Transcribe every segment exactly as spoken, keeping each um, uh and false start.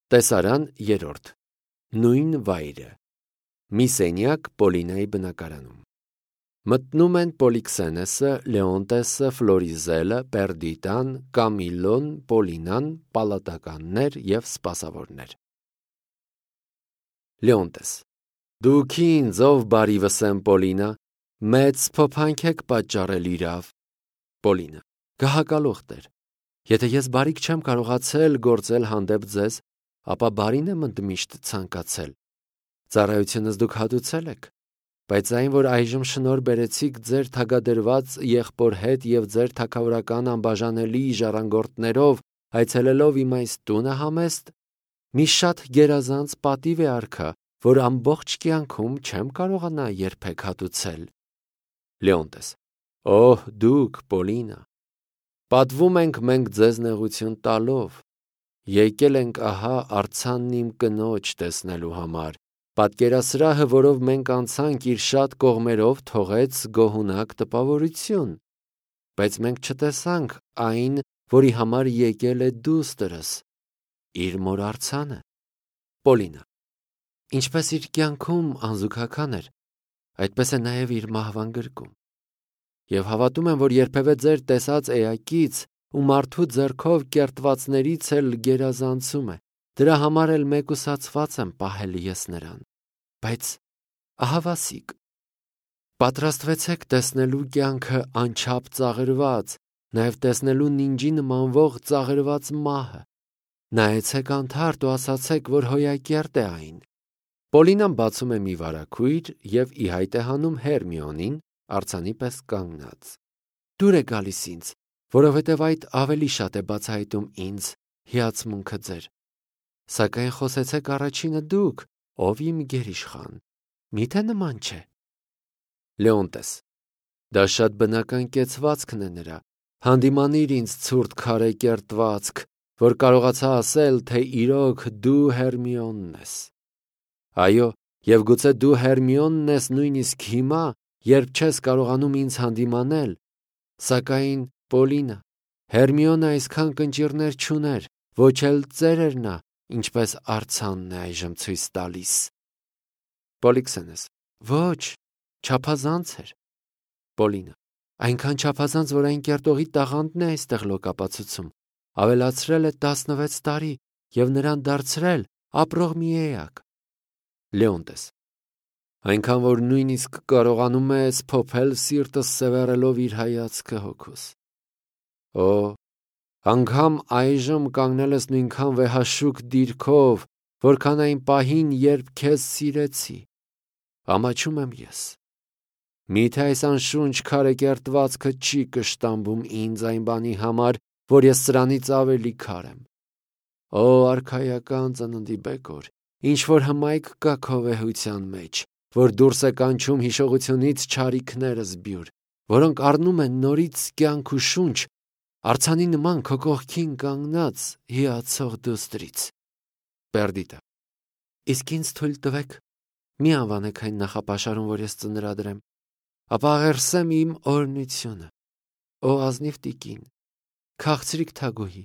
Տեսարան երրորդ։ Նույն վայրը։ Մի սենյակ Պոլինայի բնակարանում։ Մտնում են Պոլիքսենեսը, Լեոնտեսը, Ֆլորիզելը, Պերդիտան, Կամիլոն, Պոլինան, պալատականներ և սպասավորներ։ Լեոնտես. Դուք ինձ ով բարիվս եմ, Պոլինա, մեծ փոփանք եք պատճառել իրավ։ Պոլինա. Գահակալուխ Տեր, եթե ես բարիք չեմ կարողացել գործել հանդեպ ձեզ, ապա բարին եմ ընդմիշտ ցանկացել։ Ծառայությունս դուք հատուցել եք, բայց այն, որ այժմ շնորհ բերեցիք ձեր թագադրված եղբոր հետ և ձեր թագավորական անբաժանելի ժառանգորդներով այցելելով իմ այս տունը համեստ, մի շատ գերազանց պատիվ է արքա, որ ամբողջ կյանքում չեմ կարողանա երբեք հատուցել։ Լեոնտես. Օհ, դուք, Պոլինա, պատվում ենք մենք ձեզ նեղություն տալով, եկել ենք ահա արձանն իմ կնոջ տեսնելու համար, պատկերասրահը, որով մենք անցանք իր շատ կողմերով, թողեց գոհունակ տպավորություն, բայց մենք չտեսանք այն, որի համար եկել է դուստրս, իր մոր արձանը։ Պոլինա. Ինչպես իր կյանքում անզուգական էր, այդպես է նաև իր մահվան գրկում։ Եվ հավատում եմ, որ երբևէ ձեր տեսած էակից ու մարդու ձեռքով կերտվածներից էլ գերազանցում է, դրա համար էլ մեկուսացված եմ պահել ես նրան։ Բայց ահավասիկ, պատրաստվեցեք տեսնելու կյանքը անչափ ծաղրված, նաև տեսնելու նինջի նմանվող ծաղրված մահը։ Նայեցեք անթարթ ու ասացեք, որ հոյակերտ է այն։ Պոլինան բացում է մի վարագույր և ի հայտ է հանում Հերմիոնին, արձանի պես կանգնած։ Դուր է գալիս ինձ, որովհետև այդ ավելի շատ է բացահայտում ինձ հիացմունքը ձեր։ Սակայն խոսեցեք առաջինը դուք, ով իմ գերիշխան, միթե նման չէ։ Լեոնտես. Դա շատ բնական կեցվածքն է նրա, հանդիմանիր ինձ ցուրտ քարե կերտվածք, որ կարողացա ասել, թե իրոք դու Հերմիոնն ես։ Այո, և գուցե դու Հերմիոնն ես նույնիսկ հիմա, երբ չես կարողանում ինձ հանդիմանել, սակայն, Պոլինա, Հերմիոնը այսքան կնճիռներ չուներ, ոչ էլ ծեր էր նա, ինչպես արձանն է այժմ ցույց տալիս։ Պոլիքսենես. Ոչ, չափազանց էր։ Պոլինա. Այնքան չափազանց, որ այն կերտողի տաղանդն է այստեղ լոկապացուցում, ավելացրել է տասնվեց տարի և նրան դարձրել ապրող մի էակ։ Լեոնտես. Այնքան, որ նույնիսկ կարողանում ես փոփել սիրտս սևեռելով իր հայացքը հոգուս։ Օ, անգամ այժմ կանգնել ես նույնքան վեհաշուկ դիրքով, որքան այն պահին, երբ քեզ սիրեցի։ Ամաչում եմ ես։ Միթե այս անշունչ քարե կերտվածքը չի կշտամբում ինձ այն բանի համար, որ ես սրանից ավելի քար եմ։ Օ, արքայական ծննդի բեկոր, ինչ որ հմայք կա քո վեհության մեջ, որ դուրս է կանչում հիշողությունից չարիքներս բյուր, որոնք առնում են նորից կյանք ու շունչ, արձանի նման քո կողքին կանգնած հիացող դուստրից։ Պերդիտա. Իսկ ինձ թույլ տվեք, մի անվանեք այն նախապաշարում, որ ես ծնրադրեմ, ապա աղերսեմ իմ օրհնությունը։ Օ ազնիվ տիկին, քաղցրիկ թագուհի,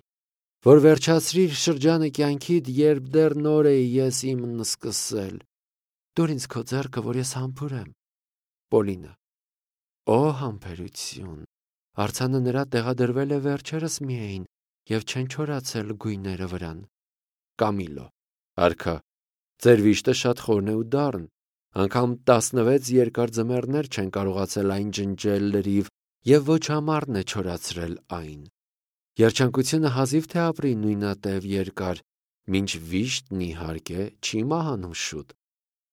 որ վերջացրիր շրջանը կյանքիդ, երբ դեռ նոր էի ես իմն սկսել, դուր ինձ քո ձեռքը, որ ես համբուրեմ։ Պոլինա. Օ համբերություն, արձանը նրա տեղադրվել է վերջերս միայն և չեն չորացել գույները վրան։ Կամիլո. Արքա, ձեր վիշտը շատ խորն է ու դառն, անգամ տասնվեց երկար ձմեռներ չեն կարողացել այն ջնջել լրիվ և ոչ համառն է չորացրել այն։ Երջանկությունը հազիվ թե ապրի նույնատև երկար, մինչ վիշտն իհարկե չի մահանում շուտ,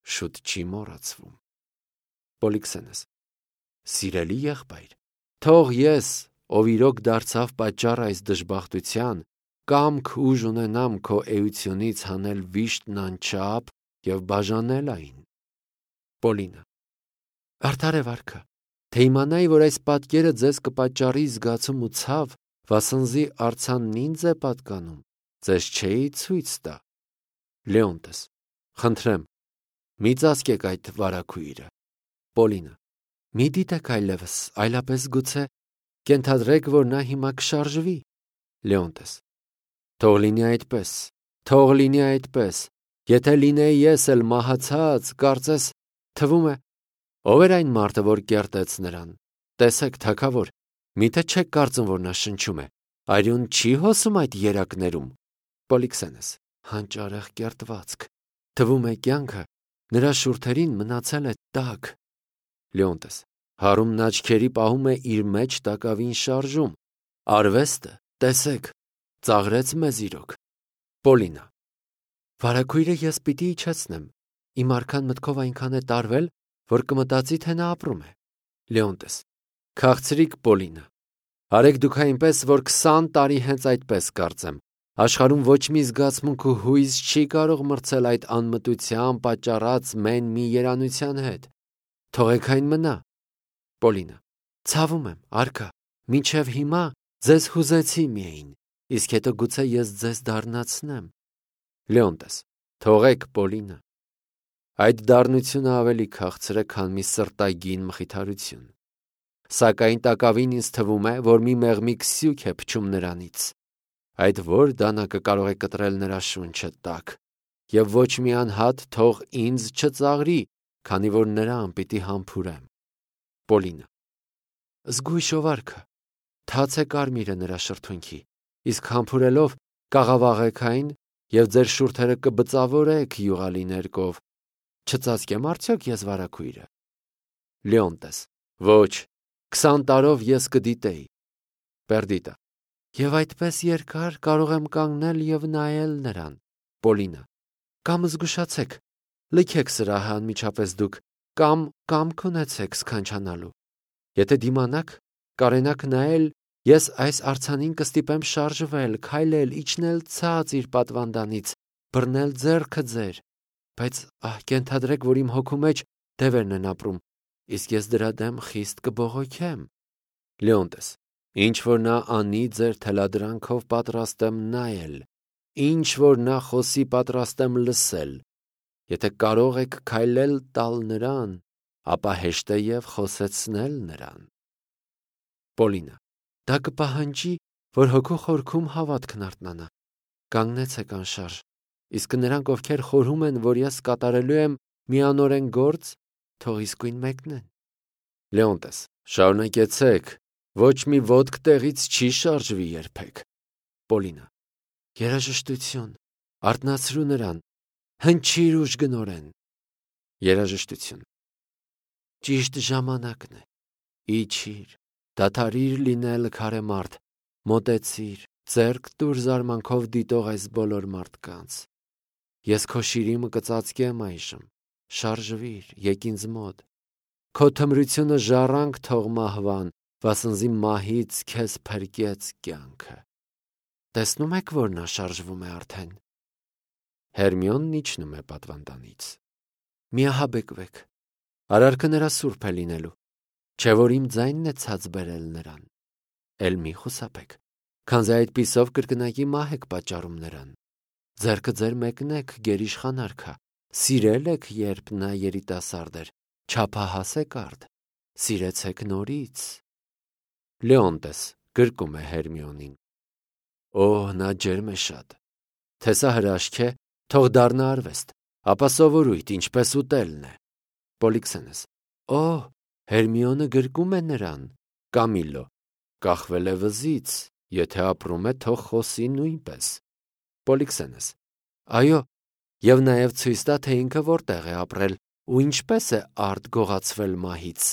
շուտ չի մոռացվում։ Պոլիքսենես. Սիրելի եղբայր, թող ես, ով իրոք դարձավ պատճառ այս դժբախտության, կամք ուժ ունենամ քո էությունից հանել վիշտն անչափ և բաժանել այն։ Պոլինա. Արդար է վարքը, թե իմանայի, որ այս պատկերը ձեզ կպատճառի զգացում ու ցավ, վասնզի արձանն ինձ է պատկանում, ձեզ չէի ցույց տա։ Լեոնտես. Խնդրեմ, մի ծածկեք այդ վարագույրը։ Պոլինա. Մի դիտեք այլևս, այլապես գուցե կենթադրեք, որ նա հիմա կշարժվի։ Լեոնտես. Թող լինի այդպես, Թող լինի այդպես, եթե լինեի ես էլ մահացած, կարծես, թվում է, ով էր այն մարդը, որ կերտեց նրան, տեսեք, թագավոր, միթե չեք կարծում, որ նա շնչում է, արյուն չի հոսում այդ երակներում, Պոլիքսենես, հանճարեղ կերտվածք, թվում է կյանքը, նրա շուրթերին մնացել է տաք, Լեոնտես, հարումն աչքերի պահում է իր մեջ տակավին շարժում, արվեստը, տեսեք, ծաղրեց մեզ իրոք, Պոլինա, վարագույրը ես պիտի իջեցնեմ, իմ արքան մտքով այնքան է տարվել, որ կմտածի, թե նա ապրում է, Լեոնտես, քաղցրիկ Պոլինա, արեք դուք այնպես, որ քսան տարի հենց այդպես կարծեմ, աշխարհում ոչ մի զգացմունք ու հույզ չի կարող մրցել այդ անմտության պատճառած մեն մի երանության հետ, թողեք այն մնա, Պոլինա, ցավում եմ, արքա, մինչև հիմա ձեզ հուզեցի միայն, իսկ հետո գուցե ես ձեզ դառնացնեմ, Լեոնտես, թողեք Պոլինա, այդ դառնությունը ավելի քաղցր է, քան մի սրտագին մխիթարություն, սակայն տակավին ինձ թվում է, որ մի մեղմիկ սյուք է փչում նրանից, այդ որ դանակը կարող է կտրել նրա շունչը տակ, և ոչ մի անհատ թող ինձ չծաղրի, քանի որ նրան պիտի համբուրեմ, Պոլինա, զգույշով արքա, թաց է կարմիրը նրա շրթունքի, իսկ համբուրելով կաղավաղեք այն և ձեր շուրթերը կբծավորեք յուղալի ներկով, չծածկեմ արդյոք ես վարագույրը, Լեոնտես, ոչ, քսան տարով ես կդիտեի, Պերդիտա, և այդպես երկար կարող եմ կանգնել և նայել նրան, Պոլինա, կամ զգուշացեք, լքեք սրահը անմիջապես դուք, կամ կամք ունեցեք սքանչանալու, եթե դիմանաք, կարենաք նայել, ես այս արձանին կստիպեմ շարժվել, քայլել, իջնել ցած իր պատվանդանից, բռնել ձեռքը ձեր, բայց ահ կենթադրեք, որ իմ հոգու մեջ դևերն են ապրում, իսկ ես դրա դեմ խիստ կբողոքեմ, Լեոնտես, ինչ որ նա անի ձեր թելադրանքով պատրաստ եմ նայել, ինչ որ նա խոսի պատրաստ եմ լսել, եթե կարող եք քայլել տալ նրան, ապա հեշտ է և խոսեցնել նրան, Պոլինա, դա կպահանջի, որ հոգու խորքում հավատքն արթնանա, կանգնեցեք անշարժ, իսկ նրանք, ովքեր խորհում են, որ ես կատարելու եմ միանորեն գործ, թող իսկույն մեկնեն, Լեոնտես, շարունակեցեք, ոչ մի ոտք տեղից չի շարժվի երբեք, Պոլինա, երաժշտություն, արթնացրու նրան, հնչիր ուժգնորեն, երաժշտություն, ճիշտ ժամանակն է, իջիր, դադարիր լինել քարե մարդ, մոտեցիր, ձեռք տուր զարմանքով դիտող այս բոլոր մարդկանց, ես քո շիրիմը կծածկեմ այժմ, շարժվիր, եկ ինձ մոտ, քո թմրությունը ժառանգ թող մահվան, վասնզի մահից քեզ փրկեց կյանքը, տեսնում եք, որ նա շարժվում է արդեն, Հերմիոնն իջնում է պատվանդանից, միահաբեկվեք, արարքը նրա սուրբ է լինելու, չէ որ իմ ձայնն է ցած բերել նրան, էլ մի խուսափեք, քանզի այդպիսով կրկնակի մահ եք պատճառում նրան, ձեռքը ձեր մեկնեք, գերիշխան արքա, սիրել եք, երբ նա երիտասարդ էր, չափահաս եք արդ, սիրեցեք նորից, Լեոնտես գրկում է Հերմիոնին, օհ, նա ջերմ է շատ, թե սա հրաշք է, թող դառնա արվեստ, ապա սովորույթ, ինչպես ուտելն է, Պոլիքսենես, օհ, Հերմիոնը գրկում է նրան, Կամիլլո, կախվել է վզից, եթե ապրում է, թող խոսի նույնպես, Պոլիքսենես, այո, և նաև ցույց տա, թե ինքը որտեղ է ապրել ու ինչպես է արդ գողացվել մահից,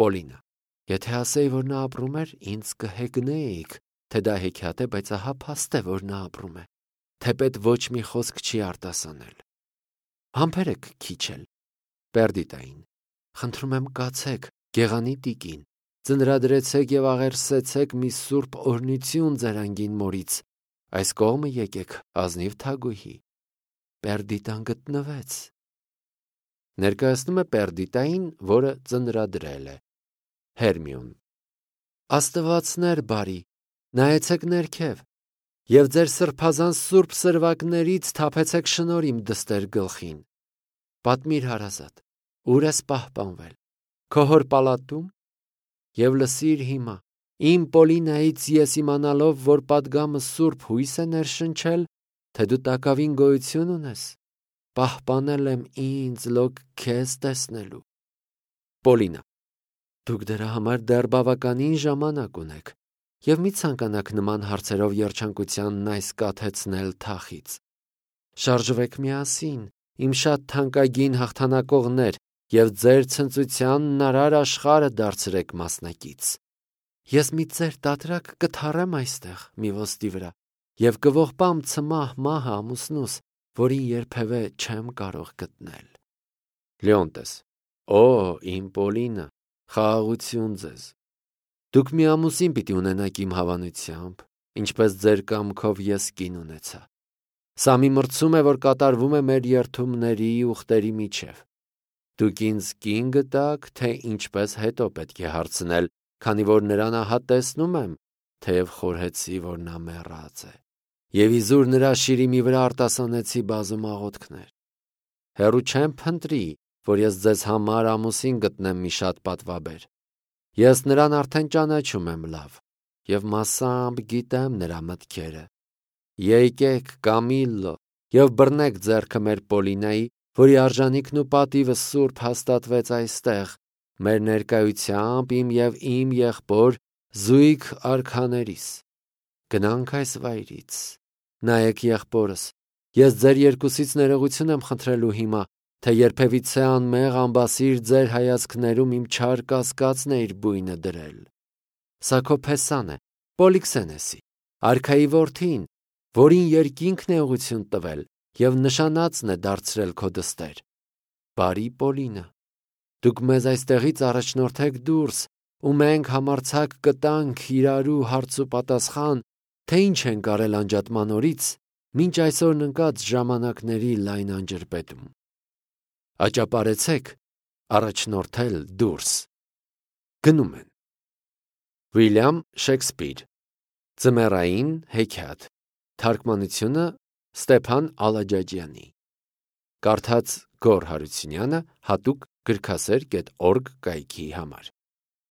Պոլինա, եթե ասեի, որ նա ապրում էր, ինձ կհեգնեիք, թե դա հեքիաթ է, բայց ահա փաստ է, որ նա ապրում է, թեպետ ոչ մի խոսք չի արտասանել, համբերեք քիչ էլ, Պերդիտային, խնդրում եմ կացեք, գեղանի տիկին, ծնրադրեցեք և աղերսեցեք մի սուրբ օրհնություն ձեր անգին մորից, այս կողմը եկեք, ազնիվ թագուհի, Պերդիտան գտնվեց, ներկայացնում է Պերդիտային, որը ծնրադրել է, Հերմիոն, Աստվածներ բարի, նայեցեք ներքև, և ձեր սրբազան սուրբ սրվակներից թափեցեք շնոր իմ դստեր գլխին, պատմիր հարազատ, ուր ես պահպանվել, քո հոր պալատում, և լսիր հիմա, իմ Պոլինայից ես իմանալով, որ պատգամը սուրբ հույս է ներշնչել, թե դու տակավին գոյություն ունես։ Պահպանել եմ ինձ լոկ քեզ տեսնելու։ Պոլինա. Դուք դրա համար դեռ բավականին ժամանակ ունեք և մի ցանկանաք նման հարցերով երջանկությանն այս կաթեցնել թախից։ Շարժվեք միասին, իմ շատ թանկագին հաղթանակողներ, և ձեր ցնծությանն արար աշխարհը դարձրեք մասնակից։ Ես մի ծեր տատրակ կթառեմ այստեղ մի ոսկի վրա և կողպամ ցմահ մահը ամուսնուս, որին երբևէ չեմ կարող գտնել։ Լեոնտես. Օ, իմ Պոլինա, խաղաղություն ձեզ։ Դուք մի ամուսին պիտի ունենաք իմ հավանությամբ, ինչպես ձեր կամքով ես կին ունեցա։ Սա մի մրցում է, որ կատարվում է մեր երդումների ուխտերի միջև։ Դուք ինձ կին գտաք, թե ինչպես հետո պետք է հարցնել, քանի որ նրան ահա տեսնում եմ, թեև խորհեցի, որ նա մեռած է, և իզուր նրա շիրիմի վրա արտասանեցի բազում աղոթքներ։ Հեռու չեմ փնտրի, որ ես ձեզ համար ամուսին գտնեմ մի շատ պատվաբեր։ Ես նրան արդեն ճանաչում եմ լավ, և մասամբ գիտեմ նրա մտքերը։ Եկեք, Կամիլլո, և բռնեք ձեռքը մեր Պոլինայի, որի արժանիքն ու պատիվը սուրբ հաստատվեց այստեղ, մեր ներկայությամբ իմ և իմ եղբոր զույգ արքաներիս։ Գնանք այս վայրից։ Նայեք, եղբորս, ես ձեր երկուսից ներողություն եմ խնդրելու հիմա, թե երբևիցե անմեղ ամբասիր ձեր հայացքներում իմ չար կասկածն էիր բույնը դրել։ Սա քո փեսան է, Պոլիքսենեսի, արքայի որդին, որին երկինքն է ուղղություն տվել և նշանածն է դարձրել քո դստեր։ Բարի Պոլինա, դուք մեզ այստեղից առաջնորդեք դուրս, ու մենք համարձակ կտանք իրարու հարց ու պատասխան, թե ինչ ենք արել անջատման օրից մինչ այսօրն ընկած ժամանակների լայն անջրպետում։ Աճապարեցեք առաջնորդել դուրս։ Գնում են։ Վիլյամ Շեքսպիր, Ձմեռային հեքիաթ, թարգմանությունը Ստեփան Ալաջաջյանի, կարդաց Գոռ Հարությունյանը, հատուկ գրքասեր կետ օրգ կայքի համար։